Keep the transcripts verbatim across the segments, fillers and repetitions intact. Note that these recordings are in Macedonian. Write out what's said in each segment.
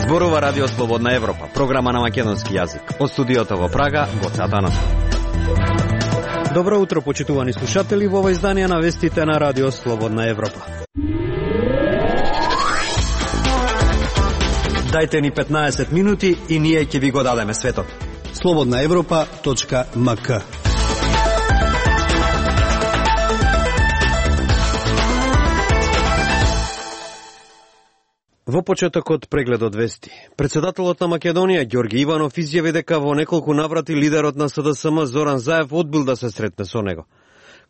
Зборува Радио Слободна Европа, програма на македонски јазик. Од студиото во Прага, Гоце Атанасов. Добро утро, почитувани слушатели, во ова издание на вестите на Радио Слободна Европа. Дајте ни петнаесет минути и ние ќе ви го дадеме светот. слободна европа точка ем ка. Во почетокот прегледот вести. Председателот на Македонија Ѓорги Иванов изјави дека во неколку наврати лидерот на С Д С М Зоран Заев одбил да се сретне со него.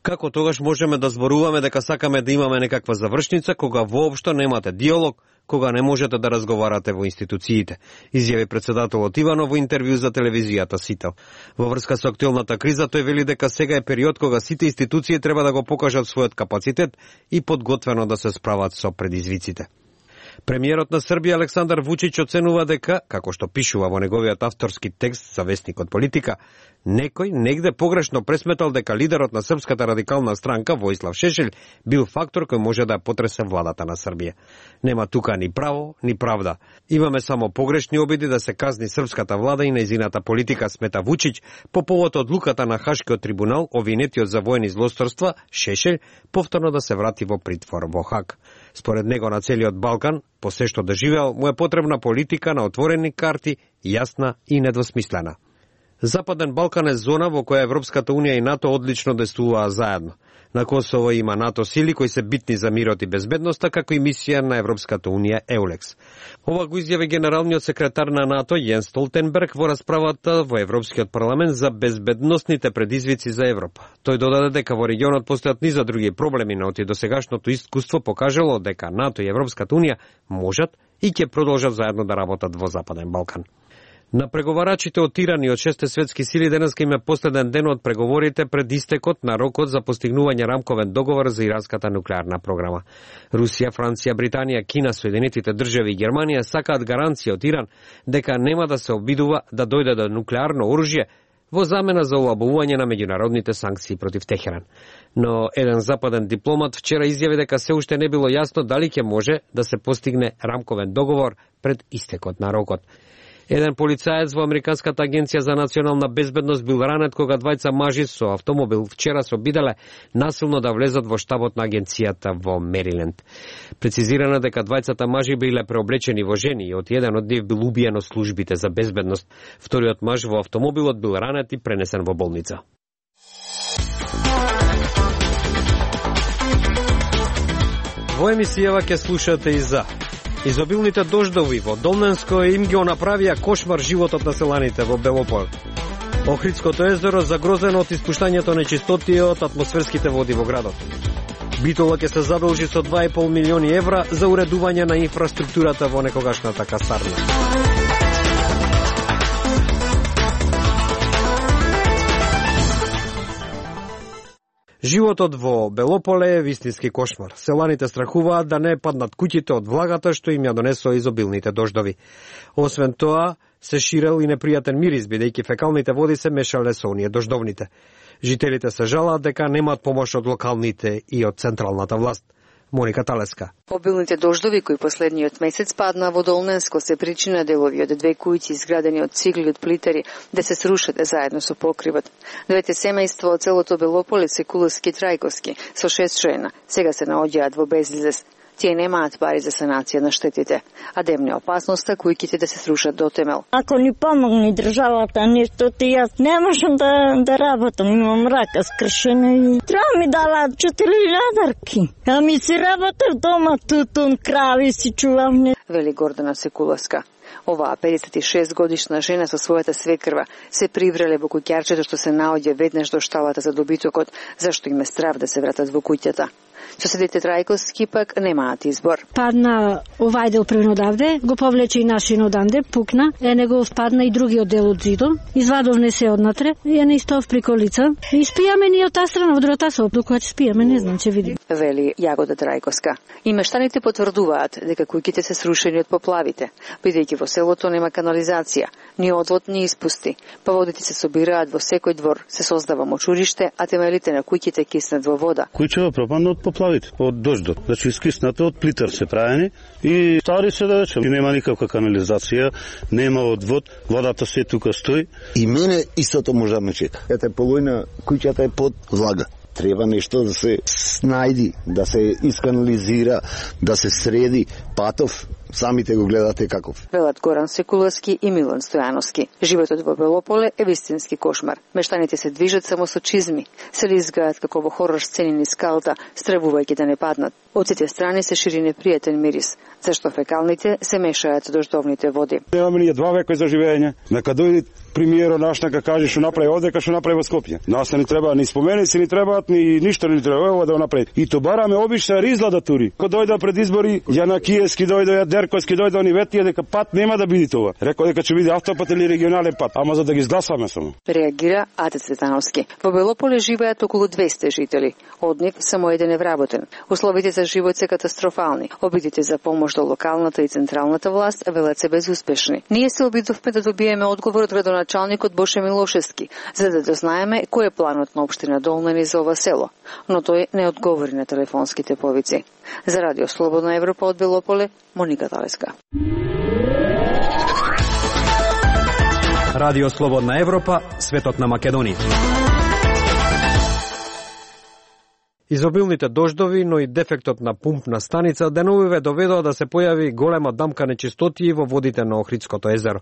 Како тогаш можеме да зборуваме дека сакаме да имаме некаква завршница кога воопшто немате диалог, кога не можете да разговарате во институциите, изјави председателот Иванов во интервју за телевизијата Сител. Во врска со актуелната криза тој вели дека сега е период кога сите институции треба да го покажат својот капацитет и подготвено да се справат со предизвиците. Премиерот на Србија Александар Вучич оценува дека, како што пишува во неговиот авторски текст за вестникот Политика, некој негде погрешно пресметал дека лидерот на Српската радикална странка Војслав Шешелј бил фактор кој може да потресе владата на Србија. Нема тука ни право, ни правда. Имаме само погрешни обиди да се казни српската влада и нејзината политика, смета Вучич, по повод одлуката на Хашкиот трибунал обвинетиот за воени злосторства Шешелј повторно да се врати во притвор во Хаг. Според него на целиот Балкан, по се што доживеал, му е потребна политика на отворени карти, јасна и недвосмислена. Западен Балкан е зона во која Европската Унија и НАТО одлично действуваа заедно. На Косово има НАТО сили кои се битни за мирот и безбедноста, како и мисија на Европската Унија Еулекс. Ова го изјави генералниот секретар на НАТО Јенс Столтенберг во расправата во Европскиот парламент за безбедносните предизвици за Европа. Тој додаде дека во регионот постојат низа други проблеми, но и досегашното искуство покажало дека НАТО и Европската Унија можат и ќе продолжат заедно да работат во Западен Балкан. На преговарачите од Иран и од шесте светски сили денеска им е последен ден од преговорите пред истекот на рокот за постигнување рамковен договор за иранската нуклеарна програма. Русија, Франција, Британија, Кина, Соединетите држави и Германија сакаат гаранција од Иран дека нема да се обидува да дојде до нуклеарно оружје во замена за олабување на меѓународните санкции против Техеран. Но еден западен дипломат вчера изјави дека се уште не било јасно дали ќе може да се постигне рамковен договор пред истекот на рокот. Еден полицаец во Американската агенција за национална безбедност бил ранет кога двајца мажи со автомобил вчера се обиделе насилно да влезат во штабот на агенцијата во Мериленд. Прецизирано дека двајцата мажи биле преоблечени во жени и од еден од нив бил убиен од службите за безбедност. Вториот маж во автомобилот бил ранет и пренесен во болница. Во емисијава ќе слушате и за изобилните дождови во Долненско им ги направија кошмар животот на селаните во Белопол. Охридското езеро загрозено од испуштањето на нечистоти од атмосферските води во градот. Битола ќе се задолжи со два и пол милиони евра за уредување на инфраструктурата во некогашната касарна. Животот во Белополе е вистински кошмар. Селаните страхуваат да не паднат куќите од влагата што им ја донесоа изобилните дождови. Освен тоа, се ширел и непријатен мирис, бидејќи фекалните води се мешале со оние дождовните. Жителите се жалаат дека немаат помош од локалните и од централната власт. Моника Талеска. Обилните дождови кои последниот месец падна во Долненско се причина делови од две куќи изградени од цигли од плитари да се срушат заедно со покривот. Двете семејства од целото Белополе, Секуловски и Трајковски, со шест жена, сега се наоѓаат во безизлез. Тие немаат пари за санација на штетите, а демне опасноста кујките да се срушат до темел. Ако ни помогне државата нешто, ти јас не можам да, да работам, имам рака скршена и треба ми даваат четири илјадарки. А ми си работев дома, тутун, крави си чувам. Вели Гордана Секуловска. Оваа педесет и шест годишна жена со својата свекрва се привреле во куќарчето што се наоѓа веднаш до шталата за добитокот, зашто им е страв да се вратат во куќата. Соседите Трајковски пак немаат избор. Падна овај дел првен одавде, го повлече и нашин оданде, пукна, е него падна и другиот дел од зидот, извадовне се однатре, ја не истов при колица. И спијаме ни од таа страна, од другата соба, докога ќе спијаме, не знам, ќе видим. Вели Јагода Трајковска. И мештаните потврдуваат дека куќите се срушени од поплавите, бидејќи во селото нема канализација, ни одвод, ни испусти. Па водите се собираат во секој двор, се создава мочуриште, а темелите на куќите киснат во вода. Куќава пропадна од поплавите, од дождот. Значи искиснато од плитар се правени и стари се да речем. И нема никаква канализација, нема одвод, водата се тука стои. И мене истото може да ме чека. Ете полојна куќата е под влага. Треба нешто да се снајди, да се исканализира, да се среди патов. Самите го гледате каков. Велат Горан Секуловски и Милан Стојановски. Животот во Белополе е вистински кошмар. Мештаните се движат само со чизми, се лизгаат како во хорор сцени низ скалта, стравувајќи да не паднат. Од сите страни се шири непријатен мирис, зашто фекалните се мешаат со дождовните води. Немаме ние два века за живење. Нека дојде премиерот наш, нека каже што направи овде, што направи во Скопје. Нас не треба ни споменици, ни требаат, ни ништо не треба ова да направи. И то бараме обична ризлада тури. Кога дојде пред избори, Јанакиевски дојде, Дерковски дојде, они ветија дека пат нема да биде тоа. Рекол дека ќе биде автопат или регионален пат, ама за да ги изгласаме само. Реагира Ате Цветановски. Во Белополе живеат околу двесте жители. Од нив само еден е вработен. Условите за живот се катастрофални. Обидите за помош до локалната и централната власт велат се безуспешни. Ние се обидовме да добиеме одговор од градоначалникот Боше Милошевски, за да дознаеме кој е планот на општина Долнани за ова село, но тој не одговори на телефонските повици. За Радио Слободна Европа од Белополе, Моника Талеска. Радио Слободна Европа, светот на Македонија. Изобилните дождови, но и дефектот на пумпна станица деновиве доведоа да се појави голема дамка нечистоти во водите на Охридското езеро.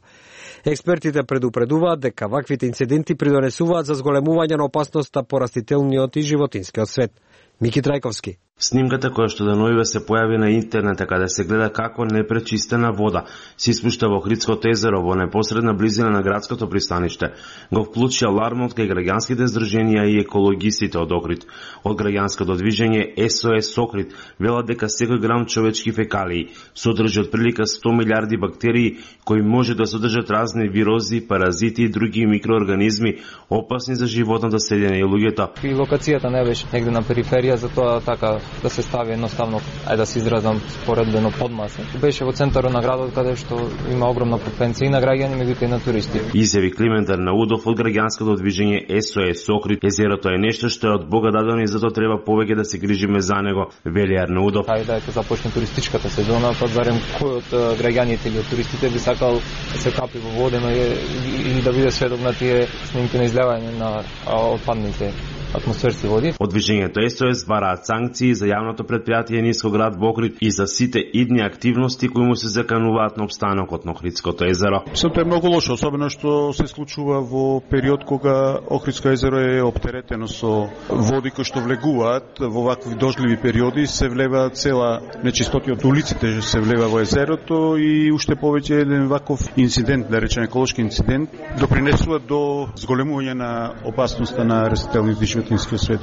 Експертите предупредуваат дека ваквите инциденти придонесуваат за зголемување на опасноста по растителниот и животинскиот свет. Мики Трајковски. Снимката која што деновиве се појави на интернет, каде се гледа како непречистена вода се испушта во Охридското езеро во непосредна близина на градското пристаниште, го вклучи алармот кај граѓанските здруженија и екологистите од Охрид. Од граѓанското движење Ес О Ес Охрид велат дека секој грам човечки фекалии содржи отприлика сто милиарди бактерии кои може да содржат разни вирози, паразити и други микроорганизми опасни за животното средина и луѓето. И локацијата не беше негде на периферија, затоа така да се стави едноставно, ајде да се изразам споредбено подмаса. Беше во центарот на градот каде што има огромна фреквенција и на граѓани, меѓутоа и на туристи. Изјави Климент Арнаудов од граѓанското движење Ес О Ес Охрид. Езерото е нешто што е од Бога дадено и затоа треба повеќе да се грижиме за него, вели Арнаудов. Ајде да започне туристичката сезона, па барем кој од граѓаните или од туристите би сакал да се капи во водено или да биде сведок на тие снимки на излевање на отпадните атмосферски води. Од движењето Ес О Ес бараат санкции за јавното предпријатие Ниско град во Охрид и за сите идни активности кои му се закануваат на опстанокот на Охридското езеро. Сето е многу лошо, особено што се случува во период кога Охридско езеро е оптеретено со води кои што влегуваат во вакви дождливи периоди, се влева цела нечистоти од улиците, се влева во езерото и уште повеќе еден ваков инцидент, да речеме еколошки инцидент, допринесува до зголемување на опасноста на растителните и животинскиот свет,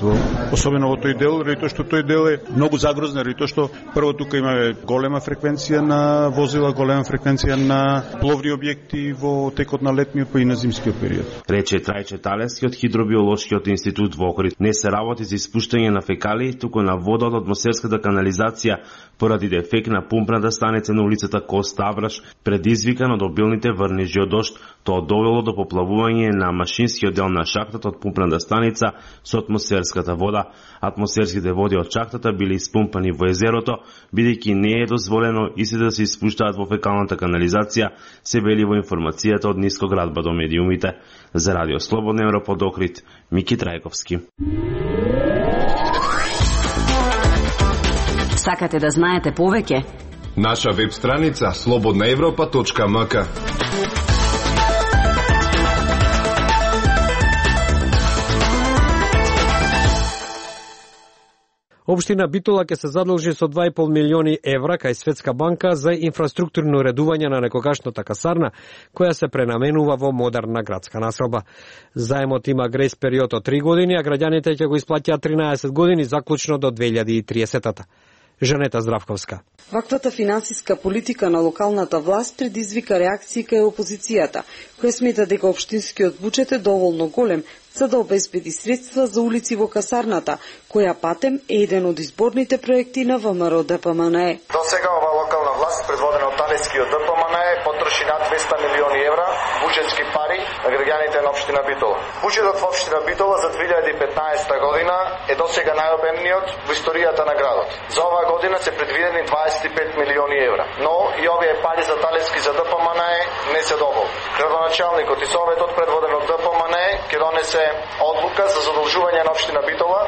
особено во тој дел, ради тоа што тој дел е многу загрозен, ради тоа што прво тука имаме голема фреквенција на возила, голема фреквенција на пловни објекти во текот на летниот па и на зимскиот период. Рече Трајче Талески од Хидробиолошкиот институт во Охрид. Не се работи за испуштање на фекалии, туку на вода од атмосферската канализација поради дефект на пумпната станица на улицата Коста Авраш, предизвикан од обилните врнежи од дожд. Тоа довело до поплавување на машинскиот дел на шахтата од пумпната станица со атмосферската вода. Атмосферските води од шахтата били испумпани во езерото, бидејќи не е дозволено истите да се испуштаат во фекалната канализација, се вели во информацијата од Ниско градба до медиумите. За Радио Слободна Европа од Охрид, Мики Трајковски. Сакате да знаете повеќе? Наша веб страница слободна европа точка ем ка. Општина Битола ќе се задолжи со два и пол милиони евра кај Светска банка за инфраструктурно уредување на некогашната касарна, која се пренаменува во модерна градска населба. Заемот има грејс период од три години, а граѓаните ќе го исплатјаат тринаесет години заклучно до две илјади и триесета. Жанета Здравковска. Ваквата финансиска политика на локалната власт предизвика реакции кај опозицијата, која смета дека општинскиот буџет е доволно голем за да обезбеди средства за улици во касарната, која патем е еден од изборните проекти на ВМРО Д П М Н Е. До сега ова локална власт, предводена од талескиот Д П М Н Е, потроши над двесте милиони евра буџетски пари на граѓаните на општина Битола. Буџетот во општина Битола за две илјади и петнаесета година е досега најобемниот во историјата на градот. За оваа година се предвидени дваесет и пет милиони евра, но и овие пари за талески за Д П М Н Е не се доволни. Градоначалникот и советот, предводен од Д П М Н Е, ќе донесе одлука за задолжување на општина Битола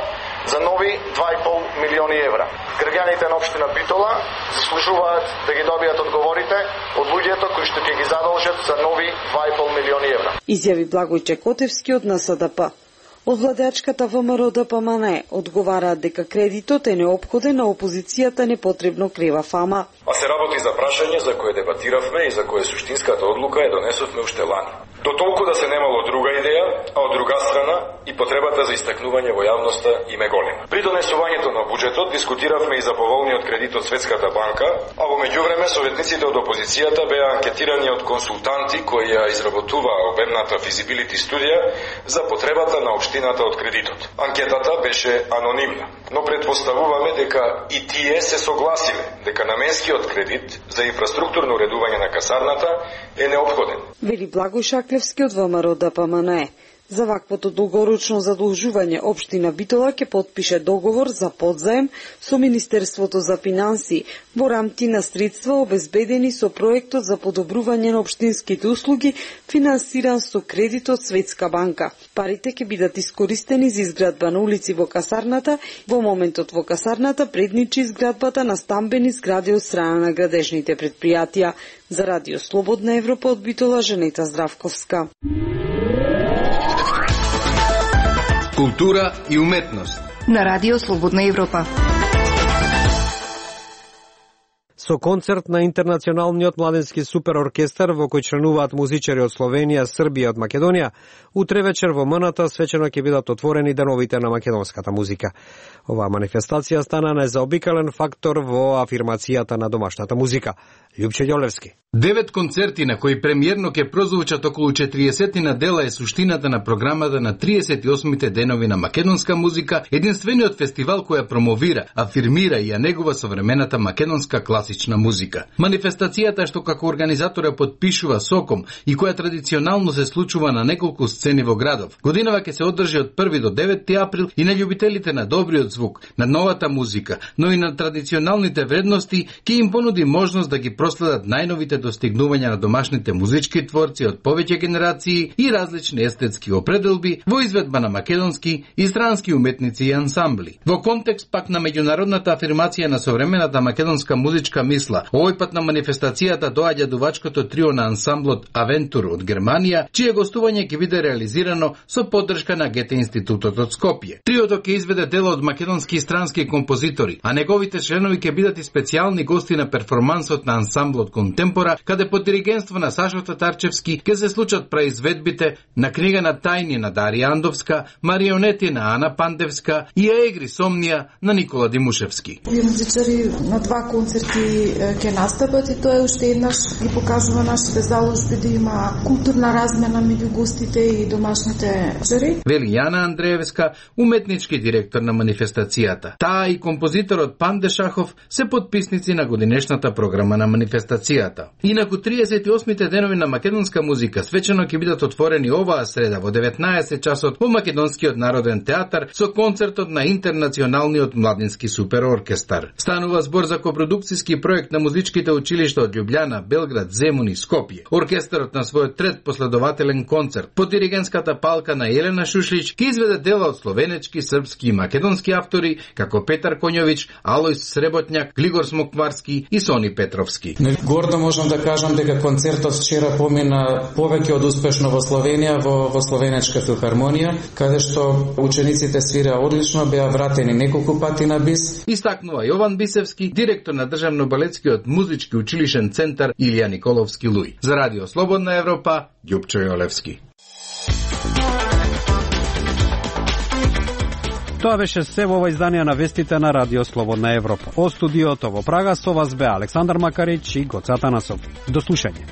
за нови два и пол милиони евра. Граѓаните на општина Битола заслужуваат да ги добијат одговорите од луѓето кои што ќе ги задолжат за нови два и пол милиони евра. Изјави Благој Котевски од Н С Д П. Од владеачката В М Р Д П М Н Е одговараат дека кредитот е неопходен, на опозицијата непотребно крива фама. А се работи за прашање за кое дебатиравме и за кое суштинската одлука е донесовме уште лани. До толку да се немало друга идеја, а од друга страна и потребата за истакнување во јавноста им е голема. При донесувањето на буџетот дискутиравме и за поволниот кредит од Светската банка, а во меѓувреме советниците од опозицијата беа анкетирани од консултанти кои ја изработуваа обемната физибилити студија за потребата на општината од кредитот. Анкетата беше анонимна, но предпоставуваме дека и тие се согласиле дека наменскиот кредит за инфраструктурно уредување на касарната е неопходен. Вели Благој Шаклевски од В М Р Д П М Н Е. За ваквото долгорочно задолжување општина Битола ќе потпише договор за подзаем со Министерството за финансии во рамки на средства обезбедени со проектот за подобрување на општинските услуги, финансиран со кредит од Светска банка. Парите ќе бидат искористени за изградба на улици во касарната. Во моментот во касарната предничи изградбата на стамбени згради од страна на градежните предпријатија. За Радио Слободна Европа од Битола, Женета Здравковска. Култура и уметност на Радио Слободна Европа. Со концерт на Интернационалниот младенски супероркестар во кој членуваат музичари од Словенија, Србија и од Македонија, утре вечер во М Н Т свечено ќе бидат отворени деновите на македонската музика. Оваа манифестација стана незаобикален фактор во афирмацијата на домашната музика. Љупче Ѓолевски. Девет концерти на кои премиерно ќе прозвучат околу четиристотина дела е суштината на програмата на триесет и осмите денови на македонска музика, единствениот фестивал која промовира, афирмира и ја негува современата македонска класична музика. Манифестацијата што како организатор ја подпишува Соком и која традиционално се случува на неколку сцени во градов. Годинава ќе се одржи од први до девети април и на љубителите на добриот звук, на новата музика, но и на традиционалните вредности ќе им понуди можност да ги проследат најновите достигнувања на домашните музички творци од повеќе генерации и различни естетски определби во изведба на македонски и странски уметници и ансамбли. Во контекст пак на меѓународната афирмација на современата македонска музичка мисла, овој пат на манифестацијата доаѓа дувачкото трио на ансамблот Авентур од Германија, чие гостување ќе биде реализирано со поддршка на Гете институтот од Скопје. Триото ќе изведе дела од македонски и странски композитори, а неговите членови ќе бидат и специјални гости на перформансот на ансамблот Контемпора, каде под диригентство на Сашо Татарчевски ќе се случат праизведбите на Книга на тајни на Дарија Андовска, Марионети на Ана Пандевска и Егри Сомнија на Никола Димушевски. Овие музичари на два концерти ќе настапат и тоа е уште еднаш ги покажува нашите заложби да има културна размена меѓу гостите и домашните жари. Вели Јана Андреевска, уметнички директор на манифестацијата. Таа и композиторот Панде Шахов се подписници на годинешната програма на манифестацијата. Инаку триесет и осмите денови на македонска музика свечено ќе бидат отворени оваа среда во деветнаесет часот во Македонскиот народен театар со концертот на Интернационалниот младински супероркестар. Станува збор за копродукцијски проект на музичките училишта од Љубљана, Белград, Земун и Скопје. Оркестарот на својот трет последователен концерт под диригентската палка на Елена Шушлич ќе изведе дела од словенечки, српски и македонски автори како Петар Коњовиќ, Алојс Среботњак, Глигор Смокварски и Сони Петровски. Гордо можам да кажам дека концертот вчера помина повеќе од успешно во Словенија, во, во Словенечка филхармонија, каде што учениците свира одлично, беа вратени неколку пати на бис. Истакнува Јован Бисевски, директор на Државно-балетскиот музички училишен центар Илија Николовски Луј. За Радио Слободна Европа, Љупчо Јолевски. Тоа беше се во ова издание на вестите на Радио Слободна Европа. Од студиото во Прага со вас беа Александар Макарич и Гоце Атанасов. До слушање.